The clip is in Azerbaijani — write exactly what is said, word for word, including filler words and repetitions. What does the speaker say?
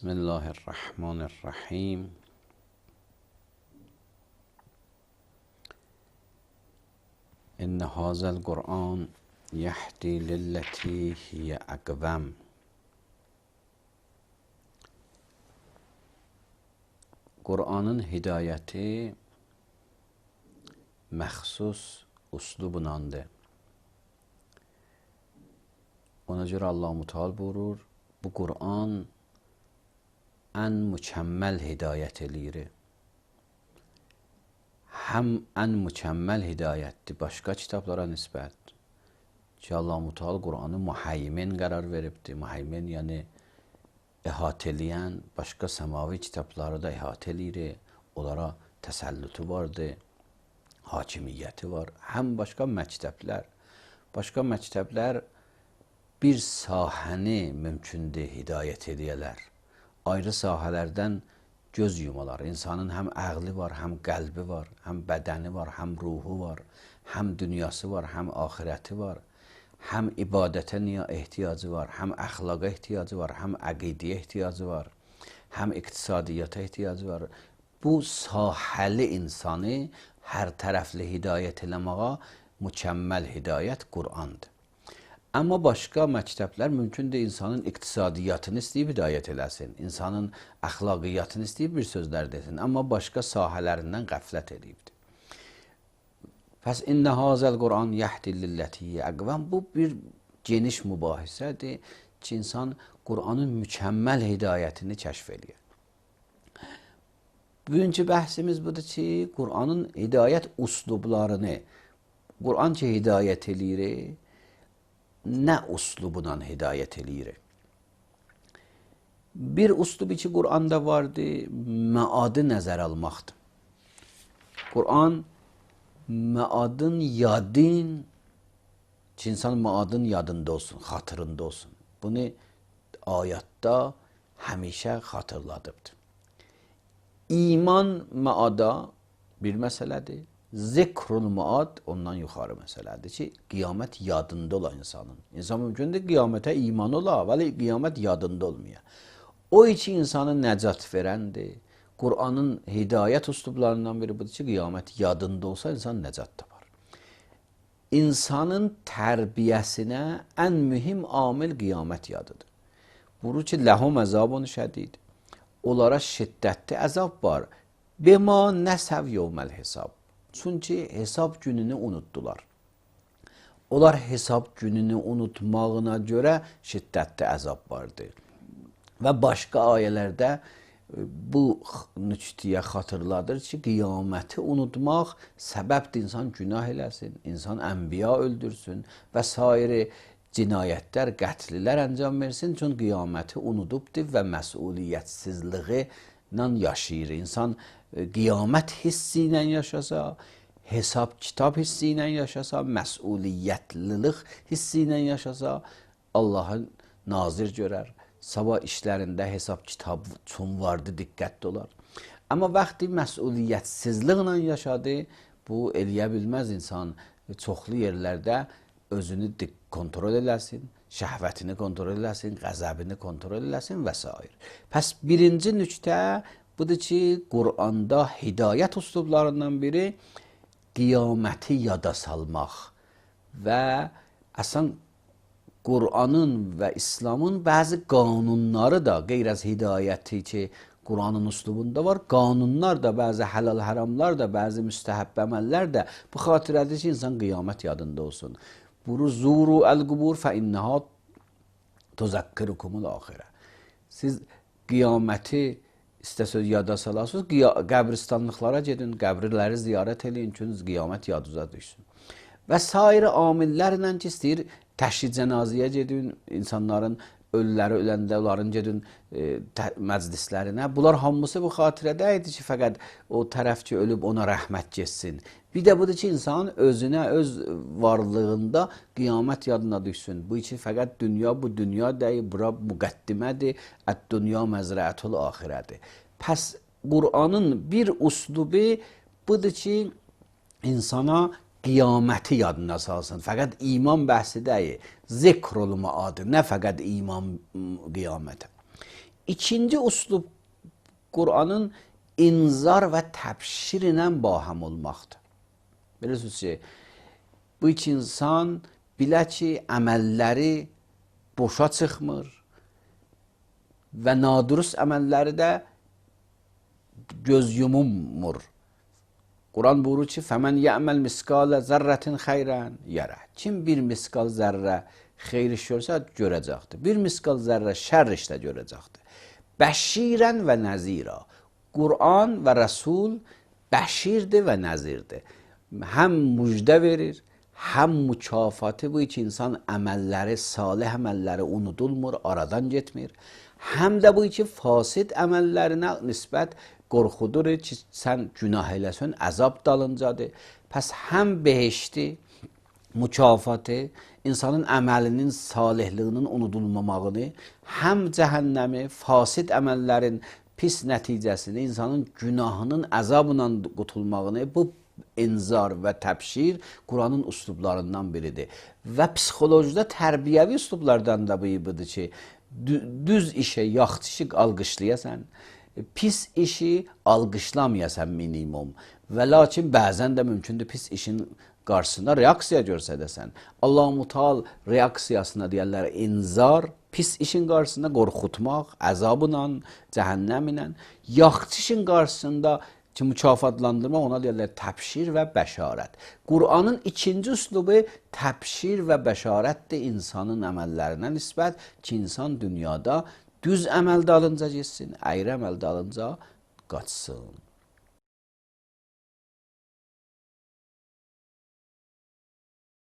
بسم الله الرحمن الرحیم. ان هذا القرآن یهدی للتی هی اقوم. Qur'anın hidayəti məxsus üslubundandır. Ona görə Allah Müteal buyurur, bu Qur'an ən mükəmməl hidayət eləyir. Həm ən mükəmməl hidayətdir başqa kitablara nisbət ki, Allah Müteal Qur'anı muhaymin qərar veribdir. Muhaymin yəni əhatə eləyən, başqa səmavi kitabları da əhatə eləyir. Onlara təsəllütü vardır, hakimiyyəti var. Həm başqa məktəblər, başqa məktəblər bir sahəni mümkündür hidayət edələr. Ayrı sahələrdən göz yumalar. İnsanın həm əqli var, həm qəlbi var, həm bədəni var, həm ruhu var, həm dünyası var, həm axirəti var. Həm ibadətə niyə ehtiyacı var, həm əxlaqa ehtiyacı var, həm əqidəyə ehtiyacı var, həm iqtisadiyyata ehtiyacı var. Bu sahəli insanı hər tərəfli hidayət eləməyə mükəmməl hidayət Qur'andır. Amma başqa məktəblər mümkündür insanın iqtisadiyyatını istəyib hidayət eləsin, insanın əxlaqiyyatını istəyib bir sözlər desin, amma başqa sahələrindən qəflət edibdir. Pəs innə hazəl Qur'an yəhdi lilləti əqvəm. Bu bir geniş mübahisədir ki, insan Qur'anın mükəmməl hidayətini kəşf edir. Bugünkü bəhsimiz budur ki, Qur'anın hidayət üslublarını, Qur'an ki hidayət eləyir, nə üslubundan hidayət eləyir? Bir üslubu ki Qur'anda vardır, məadı nəzər almaqdır. Qur'an məadın yadın ki, insan məadın yadında olsun, xatırında olsun. Bunu ayətdə həmişə xatırladıbdır. İman məada bir məsələdir. Zikrul məad ondan yuxarı məsələdir ki, qiyamət yadında ola insanın. İnsan mümkündür qiyamətə iman ola, vəli qiyamət yadında olmaya. O iki insanı nəcat verəndir. Qur'anın hidayət üslublarından biri budur ki, qiyamət yadında olsa insan nəcat tapar. İnsanın tərbiyəsinə ən mühim amil qiyamət yadıdır. Buyurur ki, ləhum əzabun şədid. Onlara şiddətli əzab var. Bema nəsəv yevməl hesab. Çünki hesab gününü unutdular. Onlar hesab gününü unutmağına görə şiddətli əzab vardır. Və başqa ayələrdə bu nüktəyə xatırladır ki, qiyaməti unutmaq səbəbdir insan günah eləsin, insan ənbiya öldürsün və sairi cinayətlər, qətlilər əncam versin. Çünki qiyaməti unudubdur və məsuliyyətsizliyi ilə yaşayır. İnsan qiyamət hissi ilə yaşasa, hesab kitab hissi ilə yaşasa, məsuliyyətlilik hissi ilə yaşasa, Allah'ın nazir görər. Sabah işlərində hesab kitab üçün vardı, diqqətli olar. Amma vaxtı məsuliyyətsizliklə yaşadı, bu eləyə bilməz insan. Çoxlu yerlərdə özünü kontrol eləsin, şəhvətini kontrol eləsin, qəzəbini kontrol eləsin və s. Pəs birinci nüktə budur ki, Qur'anda hidayət üslublarından biri qiyaməti yada salmaq və əsən Qur'anın və İslamın bəzi qanunları da qeyr az hidayəti ki, Qur'anın üslubunda var. Qanunlar da, bəzi həlal haramlar da, bəzi müstəhəbb əməllər də bu xatirədir ki, insan qiyamət yadında olsun. Buru zuru əl-qubur fə innəha tuzakkirukumul axirə. Siz qiyaməti istəsəz yada salasınız, qəbristanlıqlara gedin, qəbirləri ziyarət edin ki, qiyamət yaduza düşsün. Və sair amillərlə ki, istəyir təşhid cənazəyə gedin, insanların ölüləri öləndə onların gedin e, məclislərinə. Bunlar hamısı bu xatirədə idi ki, fəqət o tərəf ki, ölüb ona rəhmət getsin. Bir də budur ki, insan özünə, öz varlığında qiyamət yadına düşsün. Bu için fəqət dünya bu dünya deyil, bura müqəddimədir, ət-dünya məzrəətul axirədir. Pəs Qur'anın bir üslubu budur ki, insana qiyaməti yadına salsın. Fəqət iman bəhsi deyil, zikrul məad, nə fəqət iman qiyamətə. İkinci uslub Qur'anın inzar və təbşir ilə baham olmaqdır. Bilirsiniz ki, bu iki insan bilə ki, əməlləri boşa çıxmır və nadurust əməlləri də göz yumulmur. Quran buyurur ki, فَمَنْ يَعْمَلْ مِسْقَالَ ذَرَّةٍ خَيْرًا يَرَى. Kim bir miskal zərrə xeyr iş görsə görəcəkdir. Bir miskal zərrə şər iş də görəcəkdir. Bəşirən və nəzira. Quran və Rəsul bəşirdir və nəzirdir. Həm müjdə verir, həm mükafatı bu iki insan əməlləri, salih əməlləri unudulmur, aradan getmir. Həm də bu iki fasid əməllərinə nisbət qorxudur ki, sən günah eləsən, əzab dalıncadır. Pəs həm behişti, mükafatı, insanın əməlinin salihliyinin unudulmamağını, həm cəhənnəmi, fasid əməllərin pis nəticəsini, insanın günahının əzabla qutulmağını, bu inzar və təbşir Quranın üslublarından biridir. Və psixolojide tərbiyəvi üslublardan da bu budur ki, düz işe, yaxşı işi alqışlayasan, pis işi alqışlamayasan minimum. Və lakin bəzən də mümkündür pis işin qarşısında reaksiya görsədəsən. Allah-u Mutal reaksiyasına deyərlər inzar, pis işin qarşısında qorxutmaq, əzabla, cəhənnəmlə, yaxşı işin qarşısında ki, mükafatlandırma ona deyərlər təbşir və bəşarət. Qur'anın ikinci üslubu təbşir və bəşarətdir insanın əməllərinə nisbət ki, insan dünyada düz əməl dalınca getsin, əyri əməl dalınca qaçsın.